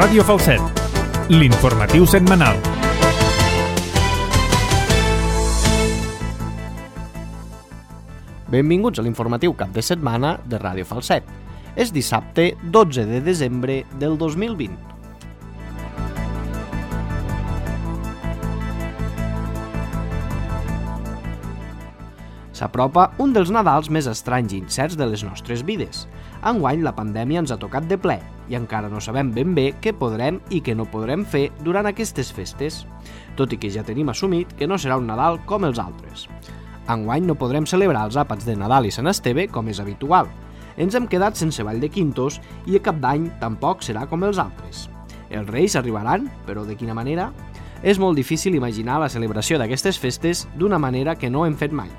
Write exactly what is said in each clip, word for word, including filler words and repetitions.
Ràdio Falset, l'informatiu setmanal. Benvinguts a l'informatiu cap de setmana de Ràdio Falset. És dissabte dotze de desembre del dos mil vint. S'apropa un dels Nadals més estranys i incerts de les nostres vides. Enguany la pandèmia ens ha tocat de ple i encara no sabem ben bé què podrem i què no podrem fer durant aquestes festes, tot i que ja tenim assumit que no serà un Nadal com els altres. Enguany no podrem celebrar els àpats de Nadal i Sant Esteve com és habitual. Ens hem quedat sense ball de quintos i a Cap d'Any tampoc serà com els altres. Els Reis arribaran, però de quina manera? És molt difícil imaginar la celebració d'aquestes festes d'una manera que no hem fet mai.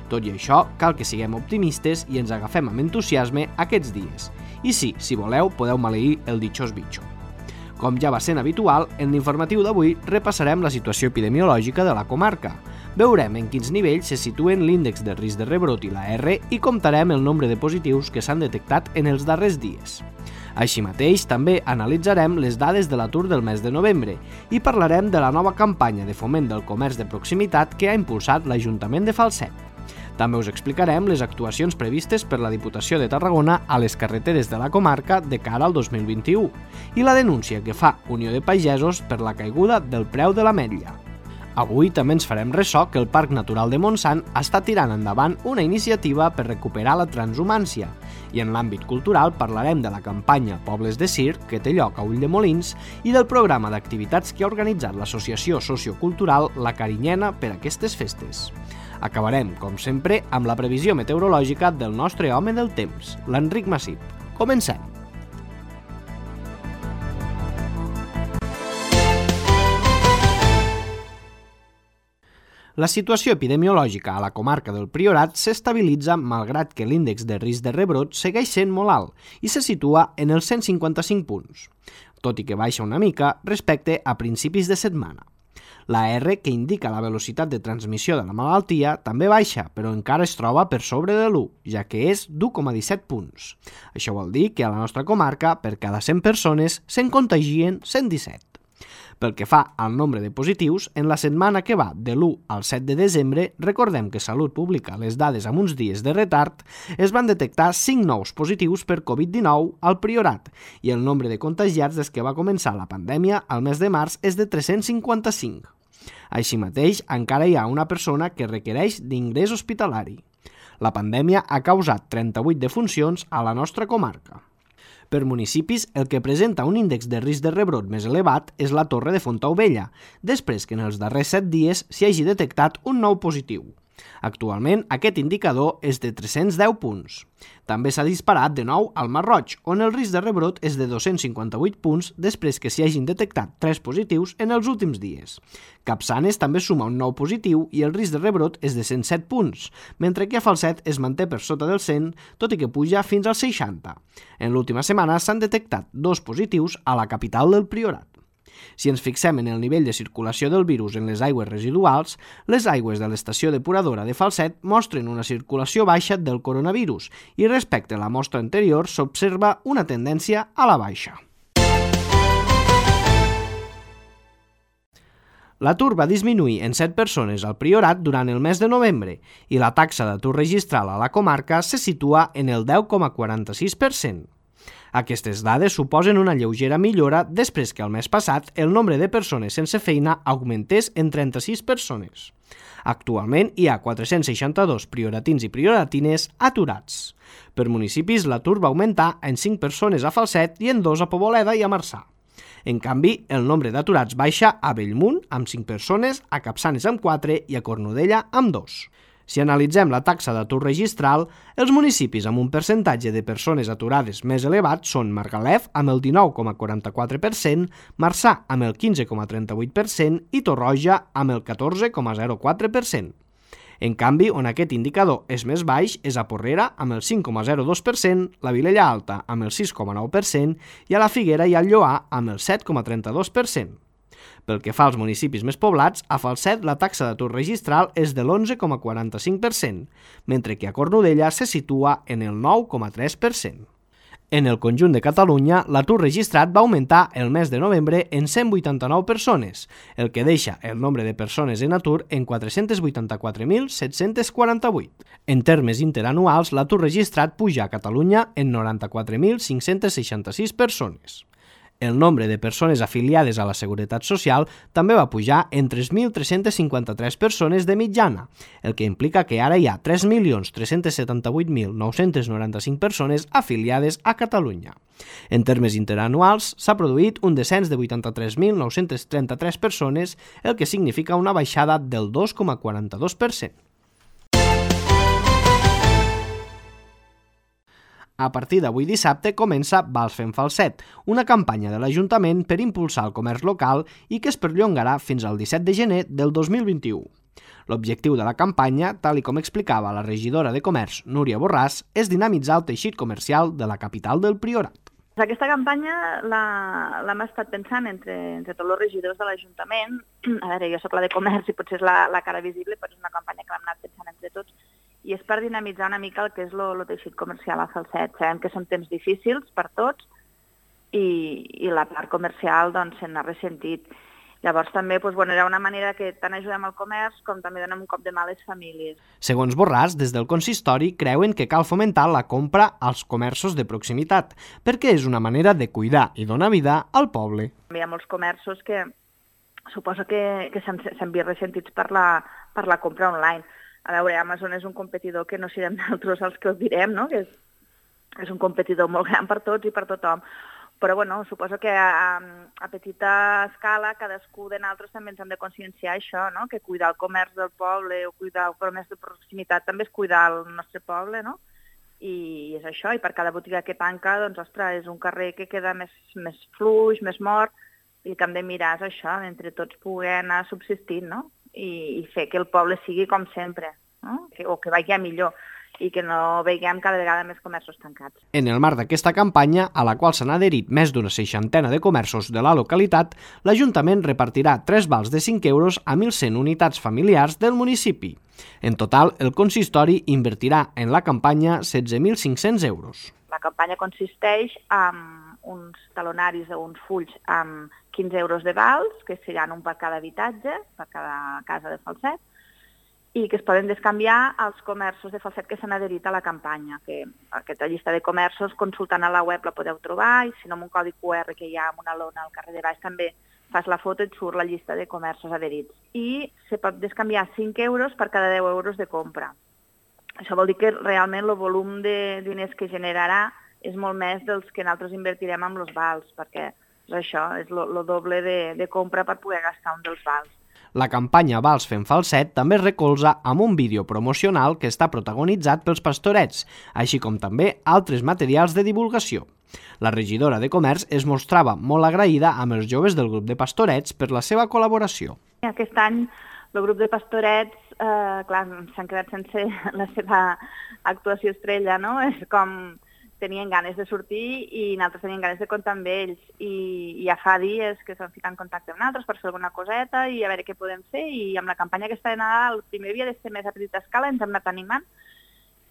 Tot i això, cal que siguem optimistes i ens agafem amb entusiasme aquests dies. I sí, si voleu, podeu maleir el ditxós bitxo. Com ja va sent habitual, en l'informatiu d'avui repassarem la situació epidemiològica de la comarca. Veurem en quins nivells se situen l'índex de risc de rebrot i la R i comptarem el nombre de positius que s'han detectat en els darrers dies. Així mateix, també analitzarem les dades de l'atur del mes de novembre i parlarem de la nova campanya de foment del comerç de proximitat que ha impulsat l'Ajuntament de Falset. També us explicarem les actuacions previstes per la Diputació de Tarragona a les carreteres de la comarca de cara al dos mil vint-i-u i la denúncia que fa Unió de Pagesos per la caiguda del preu de l'ametlla. Avui també ens farem ressò que el Parc Natural de Montsant està tirant endavant una iniciativa per recuperar la transhumància i en l'àmbit cultural parlarem de la campanya Pobles de Circ que té lloc a Ulldemolins i del programa d'activitats que ha organitzat l'associació sociocultural La Carinyena per aquestes festes. Acabarem, com sempre, amb la previsió meteorològica del nostre home del temps, l'Enric Massip. Comencem! La situació epidemiològica a la comarca del Priorat s'estabilitza malgrat que l'índex de risc de rebrot segueix sent molt alt i se situa en els cent cinquanta-cinc punts, tot i que baixa una mica respecte a principis de setmana. La R, que indica la velocitat de transmissió de la malaltia, també baixa, però encara es troba per sobre de l'u, ja que és d'u coma disset punts. Això vol dir que a la nostra comarca, per cada cent persones, se'n contagien cent disset. Pel que fa al nombre de positius, en la setmana que va de l'u al set de desembre, recordem que Salut publica les dades amb uns dies de retard, es van detectar cinc nous positius per covid dinou al Priorat i el nombre de contagiats des que va començar la pandèmia al mes de març és de tres-cents cinquanta-cinc. Així mateix, encara hi ha una persona que requereix d'ingrés hospitalari. La pandèmia ha causat trenta-vuit defuncions a la nostra comarca. Per municipis, el que presenta un índex de risc de rebrot més elevat és la Torre de Fontaubella, després que en els darrers set dies s'hi hagi detectat un nou positiu. Actualment, aquest indicador és de tres-cents deu punts. També s'ha disparat de nou al Masroig, on el risc de rebrot és de dos-cents cinquanta-vuit punts després que s'hi hagin detectat tres positius en els últims dies. Capçanes també suma un nou positiu i el risc de rebrot és de cent set punts, mentre que a Falset es manté per sota del cent, tot i que puja fins als seixanta. En l'última setmana s'han detectat dos positius a la capital del Priorat. Si ens fixem en el nivell de circulació del virus en les aigües residuals, les aigües de l'estació depuradora de Falset mostren una circulació baixa del coronavirus i respecte a la mostra anterior s'observa una tendència a la baixa. L'atur va disminuir en set persones al Priorat durant el mes de novembre i la taxa d'atur registral a la comarca se situa en el deu coma quaranta-sis per cent. Aquestes dades suposen una lleugera millora després que el mes passat el nombre de persones sense feina augmentés en trenta-sis persones. Actualment hi ha quatre-cents seixanta-dos prioratins i prioratines aturats. Per municipis, l'atur va augmentar en cinc persones a Falset i en dos a Poboleda i a Marçà. En canvi, el nombre d'aturats baixa a Bellmunt amb cinc persones, a Capçanes amb quatre i a Cornudella amb dos. Si analitzem la taxa d'atur registral, els municipis amb un percentatge de persones aturades més elevat són Margalef amb el dinou coma quaranta-quatre per cent, Marçà amb el quinze coma trenta-vuit per cent i Torroja amb el catorze coma zero quatre per cent. En canvi, on aquest indicador és més baix és a Porrera amb el cinc coma zero dos per cent, la Vilella Alta amb el sis coma nou per cent i a la Figuera i al Lloar amb el set coma trenta-dos per cent. Pel que fa als municipis més poblats, a Falset la taxa d'atur registral és de l'onze coma quaranta-cinc per cent, mentre que a Cornudella se situa en el nou coma tres per cent. En el conjunt de Catalunya, l'atur registrat va augmentar el mes de novembre en cent vuitanta-nou persones, el que deixa el nombre de persones en atur en quatre-cents vuitanta-quatre mil set-cents quaranta-vuit. En termes interanuals, l'atur registrat puja a Catalunya en noranta-quatre mil cinc-cents seixanta-sis persones. El nombre de persones afiliades a la Seguretat Social també va pujar en tres mil tres-cents cinquanta-tres persones de mitjana, el que implica que ara hi ha tres milions tres-cents setanta-vuit mil nou-cents noranta-cinc persones afiliades a Catalunya. En termes interanuals, s'ha produït un descens de vuitanta-tres mil nou-cents trenta-tres persones, el que significa una baixada del dos coma quaranta-dos per cent. A partir d'avui dissabte comença Vals fent falset, una campanya de l'Ajuntament per impulsar el comerç local i que es perllongarà fins al disset de gener del dos mil vint-i-u. L'objectiu de la campanya, tal i com explicava la regidora de Comerç, Núria Borràs, és dinamitzar el teixit comercial de la capital del Priorat. Aquesta campanya l'hem estat pensant entre, entre tots els regidors de l'Ajuntament. A veure, jo soc la de Comerç i potser és la, la cara visible, però és una campanya que l'hem anat pensant entre tots. I és per dinamitzar una mica el que és el teixit comercial a Falset. Sabem que són temps difícils per tots i, i la part comercial doncs, se n'ha ressentit. Llavors també doncs, bueno, era una manera que tant ajudem al comerç com també donem un cop de mà a les famílies. Segons Borràs, des del consistori creuen que cal fomentar la compra als comerços de proximitat, perquè és una manera de cuidar i donar vida al poble. Hi ha molts comerços que suposo que, que s'han vist ressentits per la, per la compra online. A veure, Amazon és un competidor que no serem nosaltres els que ho direm, no? Que és, és un competidor molt gran per tots i per tothom. Però, bueno, suposo que a, a petita escala cadascú de nosaltres també ens hem de conscienciar això, no? Que cuidar el comerç del poble o cuidar el comerç de proximitat també és cuidar el nostre poble, no? I és això, i per cada botiga que tanca, doncs, ostres, és un carrer que queda més, més fluix, més mort, i el que hem de mirar és això, entre tots poder anar subsistint, no? I fer que el poble sigui com sempre, no? Que, o que vagi a millor, i que no veiem cada vegada més comerços tancats. En el marc d'aquesta campanya, a la qual s'han adherit més d'una seixantena de comerços de la localitat, l'Ajuntament repartirà tres vals de cinc euros a mil cent unitats familiars del municipi. En total, el consistori invertirà en la campanya setze mil cinc-cents euros. La campanya consisteix en uns talonaris o uns fulls amb quinze euros de vals, que seran un per cada habitatge, per cada casa de Falset, i que es poden descanviar als comerços de Falset que s'han adherit a la campanya. Que aquesta llista de comerços, consultant a la web, la podeu trobar, i si no, amb un codi cu erre que hi ha amb una lona al carrer de baix, també fas la foto i et surt la llista de comerços adherits. I se pot descanviar cinc euros per cada deu euros de compra. Això vol dir que realment el volum de diners que generarà és molt més dels que nosaltres invertirem amb els vals, perquè és això, és el doble de, de compra per poder gastar un dels vals. La campanya Vals fent falset també es recolza amb un vídeo promocional que està protagonitzat pels pastorets, així com també altres materials de divulgació. La regidora de Comerç es mostrava molt agraïda amb els joves del grup de pastorets per la seva col·laboració. Aquest any el grup de pastorets, eh, clar, s'han quedat sense la seva actuació estrella, no? És com tenien ganes de sortir i nosaltres teníem ganes de comptar amb ells. I ja fa dies que s'han ficat en contacte amb nosaltres per fer alguna coseta i a veure què podem fer. I amb la campanya aquesta de Nadal, el primer havia de ser més a petita escala, ens hem anat animant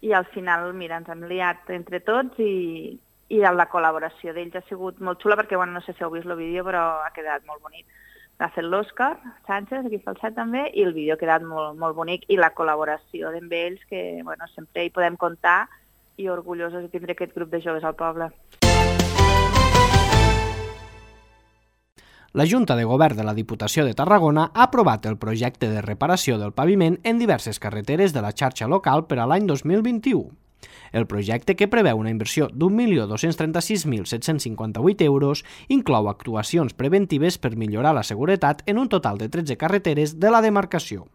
i al final, mira, ens hem liat entre tots i, i la col·laboració d'ells ha sigut molt xula perquè, bueno, no sé si heu vist el vídeo, però ha quedat molt bonic. L'ha fet l'Òscar Sánchez, aquí a Falset també, i el vídeo ha quedat molt, molt bonic i la col·laboració amb ells, que bueno, sempre hi podem comptar i orgullosos de tindre aquest grup de joves al poble. La Junta de Govern de la Diputació de Tarragona ha aprovat el projecte de reparació del paviment en diverses carreteres de la xarxa local per a l'any dos mil vint-i-u. El projecte, que preveu una inversió d'un milió dos-cents trenta-sis mil set-cents cinquanta-vuit euros, inclou actuacions preventives per millorar la seguretat en un total de tretze carreteres de la demarcació.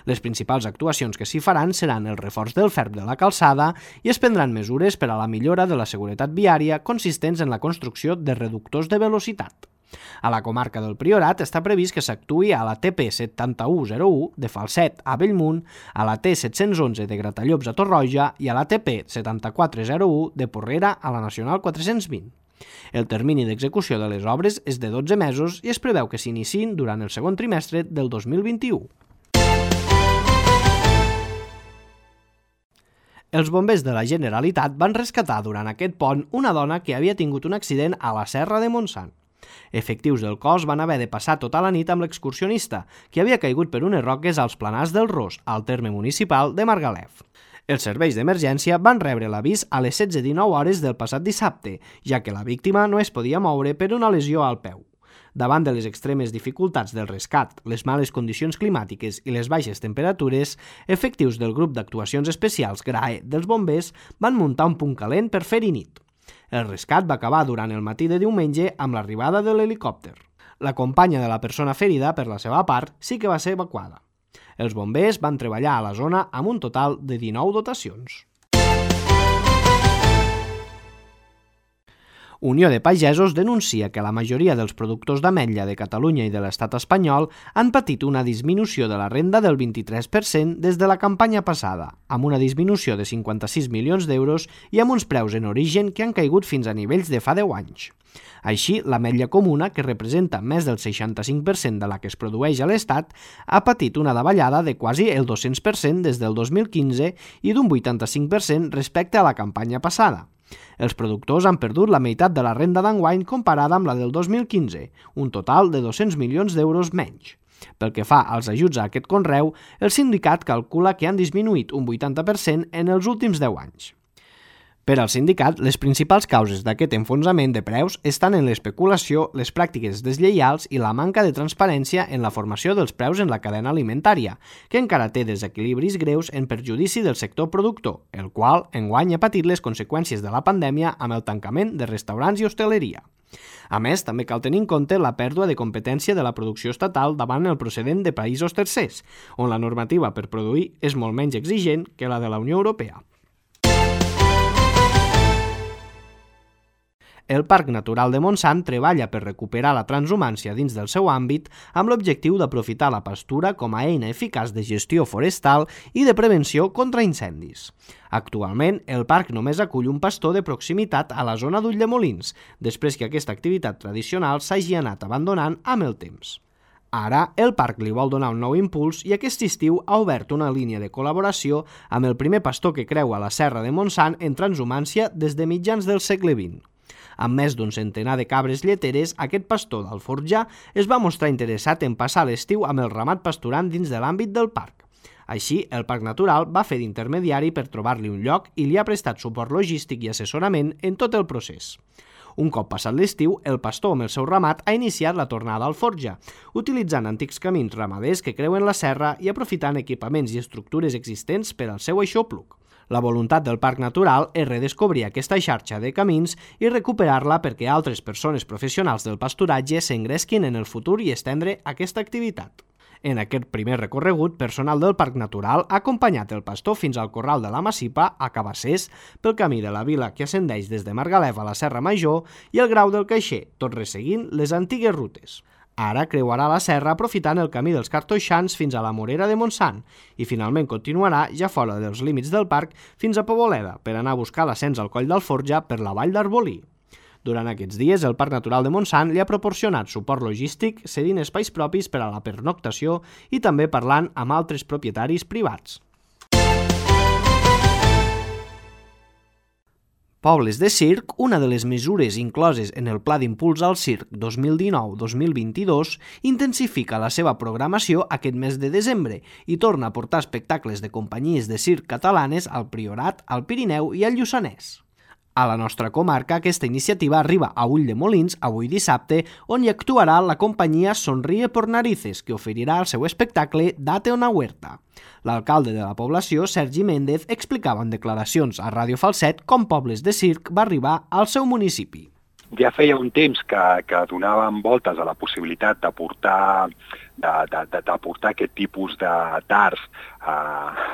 Les principals actuacions que s'hi faran seran el reforç del ferm de la calçada i es prendran mesures per a la millora de la seguretat viària consistents en la construcció de reductors de velocitat. A la comarca del Priorat està previst que s'actuï a la T P setanta-u zero u de Falset a Bellmunt, a la T set-cents onze de Gratallops a Torroja i a la T P setanta-quatre zero u de Porrera a la Nacional quatre-cents vint. El termini d'execució de les obres és de dotze mesos i es preveu que s'iniciïn durant el segon trimestre del dos mil vint-i-u. Els bombers de la Generalitat van rescatar durant aquest pont una dona que havia tingut un accident a la Serra de Montsant. Efectius del cos van haver de passar tota la nit amb l'excursionista, que havia caigut per unes roques als Planars del Ros, al terme municipal de Margalef. Els serveis d'emergència van rebre l'avís a les setze dinou hores del passat dissabte, ja que la víctima no es podia moure per una lesió al peu. Davant de les extremes dificultats del rescat, les males condicions climàtiques i les baixes temperatures, efectius del grup d'actuacions especials GRAE dels bombers van muntar un punt calent per fer-hi nit. El rescat va acabar durant el matí de diumenge amb l'arribada de l'helicòpter. La companya de la persona ferida, per la seva part, sí que va ser evacuada. Els bombers van treballar a la zona amb un total de dinou dotacions. Unió de Pagesos denuncia que la majoria dels productors d'ametlla de Catalunya i de l'estat espanyol han patit una disminució de la renda del vint-i-tres per cent des de la campanya passada, amb una disminució de cinquanta-sis milions d'euros i amb uns preus en origen que han caigut fins a nivells de fa deu anys. Així, l'ametlla comuna, que representa més del seixanta-cinc per cent de la que es produeix a l'Estat, ha patit una davallada de quasi el dos-cents per cent des del dos mil quinze i d'un vuitanta-cinc per cent respecte a la campanya passada. Els productors han perdut la meitat de la renda d'enguany comparada amb la del dos mil quinze, un total de dos-cents milions d'euros menys. Pel que fa als ajuts a aquest conreu, el sindicat calcula que han disminuït un vuitanta per cent en els últims deu anys. Per al sindicat, les principals causes d'aquest enfonsament de preus estan en l'especulació, les pràctiques deslleials i la manca de transparència en la formació dels preus en la cadena alimentària, que encara té desequilibris greus en perjudici del sector productor, el qual enguany ha patit les conseqüències de la pandèmia amb el tancament de restaurants i hostaleria. A més, també cal tenir en compte la pèrdua de competència de la producció estatal davant el procedent de països tercers, on la normativa per produir és molt menys exigent que la de la Unió Europea. El Parc Natural de Montsant treballa per recuperar la transhumància dins del seu àmbit amb l'objectiu d'aprofitar la pastura com a eina eficaç de gestió forestal i de prevenció contra incendis. Actualment, el parc només acull un pastor de proximitat a la zona d'Ulldemolins, després que aquesta activitat tradicional s'hagi anat abandonant amb el temps. Ara, el parc li vol donar un nou impuls i aquest estiu ha obert una línia de col·laboració amb el primer pastor que creua la Serra de Montsant en transhumància des de mitjans del segle vint. Amb més d'un centenar de cabres lleteres, aquest pastor d'Alforjà es va mostrar interessat en passar l'estiu amb el ramat pasturant dins de l'àmbit del parc. Així, el Parc Natural va fer d'intermediari per trobar-li un lloc i li ha prestat suport logístic i assessorament en tot el procés. Un cop passat l'estiu, el pastor amb el seu ramat ha iniciat la tornada al Forja, utilitzant antics camins ramaders que creuen la serra i aprofitant equipaments i estructures existents per al seu aixopluc. La voluntat del Parc Natural és redescobrir aquesta xarxa de camins i recuperar-la perquè altres persones professionals del pasturatge s'engresquin en el futur i estendre aquesta activitat. En aquest primer recorregut, personal del Parc Natural ha acompanyat el pastor fins al Corral de la Massipa, a Cabassers, pel camí de la vila que ascendeix des de Margalef a la Serra Major i el Grau del Caixer, tot resseguint les antigues rutes. Ara creuarà la serra aprofitant el camí dels Cartoixans fins a la Morera de Montsant i finalment continuarà ja fora dels límits del parc fins a Poboleda per anar a buscar l'ascens al Coll d'Alforja per la Vall d'Arbolí. Durant aquests dies, el Parc Natural de Montsant li ha proporcionat suport logístic cedint espais propis per a la pernoctació i també parlant amb altres propietaris privats. Pobles de circ, una de les mesures incloses en el Pla d'Impuls al Circ dos mil dinou dos mil vint-i-dos, intensifica la seva programació aquest mes de desembre i torna a portar espectacles de companyies de circ catalanes al Priorat, al Pirineu i al Lluçanès. A la nostra comarca, aquesta iniciativa arriba a Ulldemolins avui dissabte, on hi actuarà la companyia Sonríe por Narices, que oferirà el seu espectacle Date una huerta. L'alcalde de la població, Sergi Méndez, explicava en declaracions a Ràdio Falset com Pobles de Circ va arribar al seu municipi. Ja feia un temps que, que donàvem voltes a la possibilitat de portar, de, de, de, de portar aquest tipus d'arts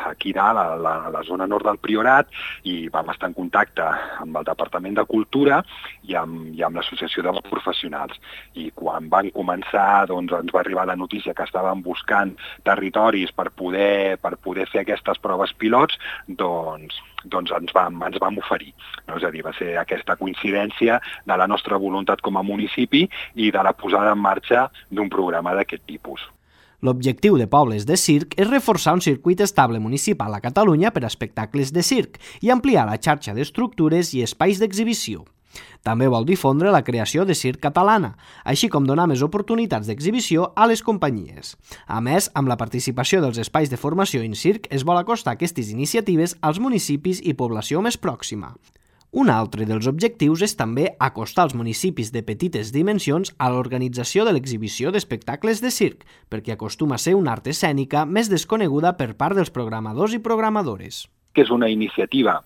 aquí dalt, a la, a la zona nord del Priorat, i vam estar en contacte amb el Departament de Cultura i amb, i amb l'Associació dels Professionals. I quan van començar, doncs, ens va arribar la notícia que estàvem buscant territoris per poder, per poder fer aquestes proves pilots, doncs, doncs ens vam, ens vam oferir. No? És a dir, va ser aquesta coincidència de la nostra voluntat com a municipi i de la posada en marxa d'un programa d'aquest tipus. L'objectiu de Pobles de Circ és reforçar un circuit estable municipal a Catalunya per a espectacles de circ i ampliar la xarxa d'estructures i espais d'exhibició. També vol difondre la creació de circ catalana, així com donar més oportunitats d'exhibició a les companyies. A més, amb la participació dels espais de formació en circ es vol acostar aquestes iniciatives als municipis i població més pròxima. Un altre dels objectius és també acostar els municipis de petites dimensions a l'organització de l'exhibició d'espectacles de circ, perquè acostuma a ser una art escènica més desconeguda per part dels programadors i programadores. Que és una iniciativa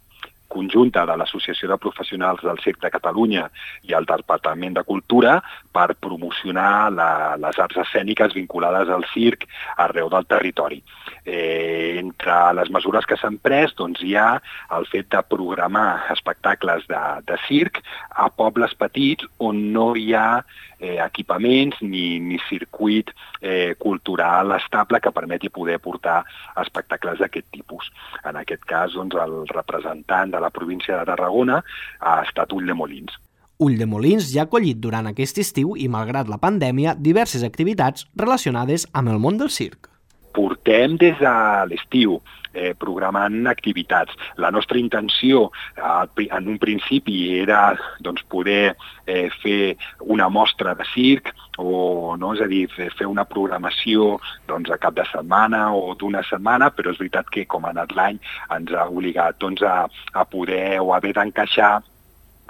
conjunta de l'Associació de Professionals del Circ de Catalunya i el Departament de Cultura per promocionar la, les arts escèniques vinculades al circ arreu del territori. Eh, entre les mesures que s'han pres doncs, hi ha el fet de programar espectacles de, de circ a pobles petits on no hi ha eh, equipaments ni, ni circuit eh, cultural estable que permeti poder portar espectacles d'aquest tipus. En aquest cas, doncs, el representant de la província de Tarragona ha estat Ulldemolins. Ulldemolins ja ha acollit durant aquest estiu i, malgrat la pandèmia, diverses activitats relacionades amb el món del circ. Portem des de l'estiu eh, programant activitats. La nostra intenció eh, en un principi era doncs, poder eh, fer una mostra de circ o, no, és a dir, fer una programació doncs, a cap de setmana o d'una setmana, però és veritat que com ha anat l'any ens ha obligat doncs, a, a poder o haver d'encaixar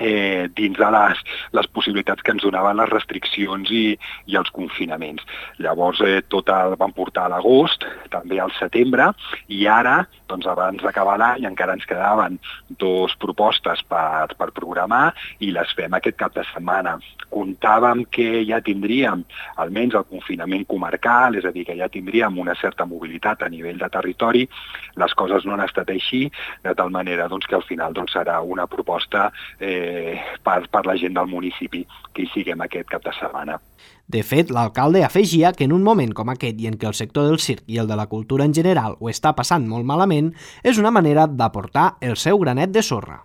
Eh, dins de les, les possibilitats que ens donaven les restriccions i, i els confinaments. Llavors eh, tot el vam portar a l'agost, també al setembre, i ara, doncs abans d'acabar l'any, encara ens quedaven dues propostes per, per programar i les fem aquest cap de setmana. Comptàvem que ja tindríem almenys el confinament comarcal, és a dir, que ja tindríem una certa mobilitat a nivell de territori. Les coses no han estat així, de tal manera doncs, que al final doncs, serà una proposta eh, Per, per la gent del municipi que hi siguem aquest cap de setmana. De fet, l'alcalde afegia que en un moment com aquest i en què el sector del circ i el de la cultura en general ho està passant molt malament, és una manera d'aportar el seu granet de sorra.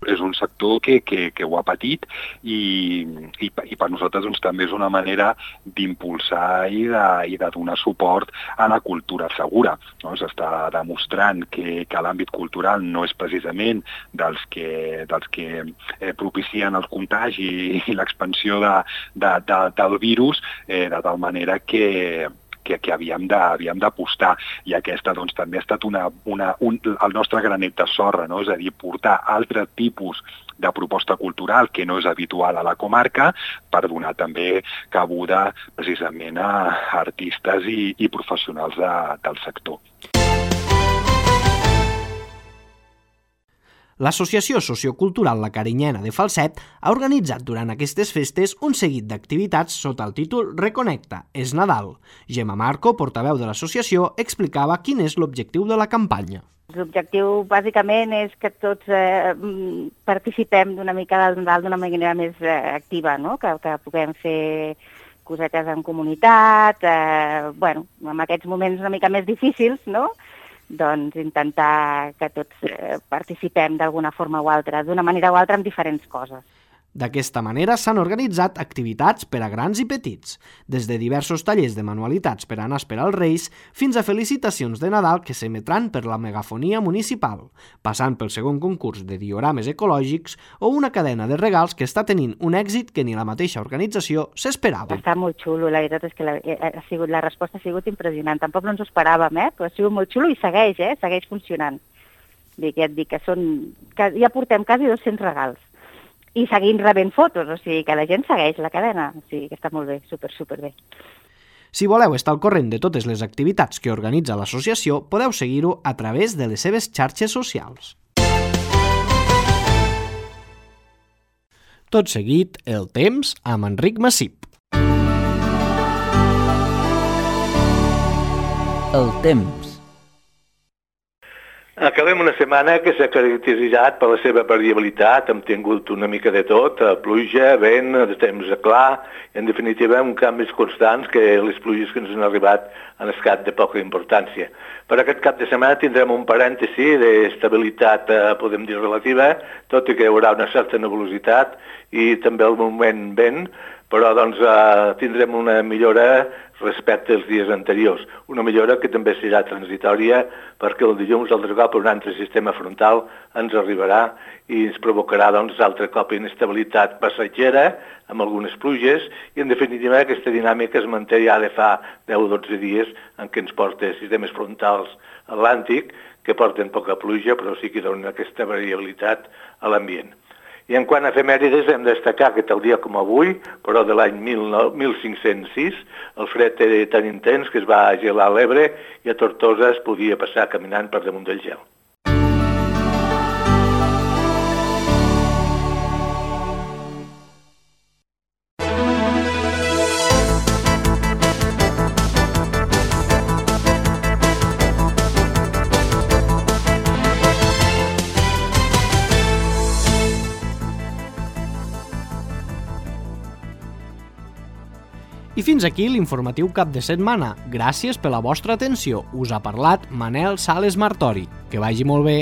És un sector que, que, que ho ha patit i, i, i per nosaltres doncs, també és una manera d'impulsar i, de, i de donar suport a la cultura segura. No? S'està demostrant que, que l'àmbit cultural no és precisament dels que, dels que eh, propicien el contagi i l'expansió de, de, de, del virus, eh, de tal manera que que, que havíem d'apostar. I aquesta doncs, també ha estat una, una, un, el nostre granet de sorra, no? És a dir, portar altre tipus de proposta cultural que no és habitual a la comarca per donar també cabuda precisament a artistes i, i professionals de, del sector. L'Associació Sociocultural La Carinyena de Falset ha organitzat durant aquestes festes un seguit d'activitats sota el títol Reconnecta, és Nadal. Gemma Marco, portaveu de l'associació, explicava quin és l'objectiu de la campanya. L'objectiu, bàsicament, és que tots eh, participem d'una mica del Nadal d'una manera més eh, activa, no? que, que puguem fer cosetes en comunitat, eh, bueno, en aquests moments una mica més difícils, no? Doncs intentar que tots eh, participem d'alguna forma o altra, d'una manera o altra amb diferents coses. D'aquesta manera s'han organitzat activitats per a grans i petits, des de diversos tallers de manualitats per a anar a esperar els Reis fins a felicitacions de Nadal que s'emetran per la megafonia municipal, passant pel segon concurs de diorames ecològics o una cadena de regals que està tenint un èxit que ni la mateixa organització s'esperava. Està molt xulo, la veritat és que la, ha sigut, la resposta ha sigut impressionant. Tampoc no ens ho esperàvem, eh? Però ha sigut molt xulo i segueix, eh? Segueix funcionant. Dic, ja et dic que són, que ja portem quasi dos-cents regals. I seguint rebent fotos, o sigui que la gent segueix la cadena, o sigui que està molt bé, super, super bé. Si voleu estar al corrent de totes les activitats que organitza l'associació, podeu seguir-ho a través de les seves xarxes socials. Tot seguit, el temps amb Enric Massip. El temps. Acabem una setmana que s'ha caracteritzat per la seva variabilitat, hem tingut una mica de tot, pluja, vent, de temps clar, en definitiva uns canvis constants que les pluges que ens han arribat han estat de poca importància. Per aquest cap de setmana tindrem un parèntesi d'estabilitat, podem dir, relativa, tot i que hi haurà una certa nebulositat i també al moment vent, però doncs, eh, tindrem una millora respecte als dies anteriors. Una millora que també serà transitòria perquè el dilluns altre cop un altre sistema frontal ens arribarà i ens provocarà doncs, altre cop inestabilitat passatgera amb algunes pluges i en definitiva aquesta dinàmica es manté ja de fa deu o dotze dies en què ens porta sistemes frontals atlàntic que porten poca pluja però sí que donen aquesta variabilitat a l'ambient. I en quant a efemèrides hem de destacar que tal dia com avui, però de l'any mil cinc-cents sis, el fred era tan intens que es va gelar l'Ebre i a Tortosa es podia passar caminant per damunt del gel. I fins aquí l'informatiu cap de setmana. Gràcies per la vostra atenció. Us ha parlat Manel Sales Martori. Que vagi molt bé.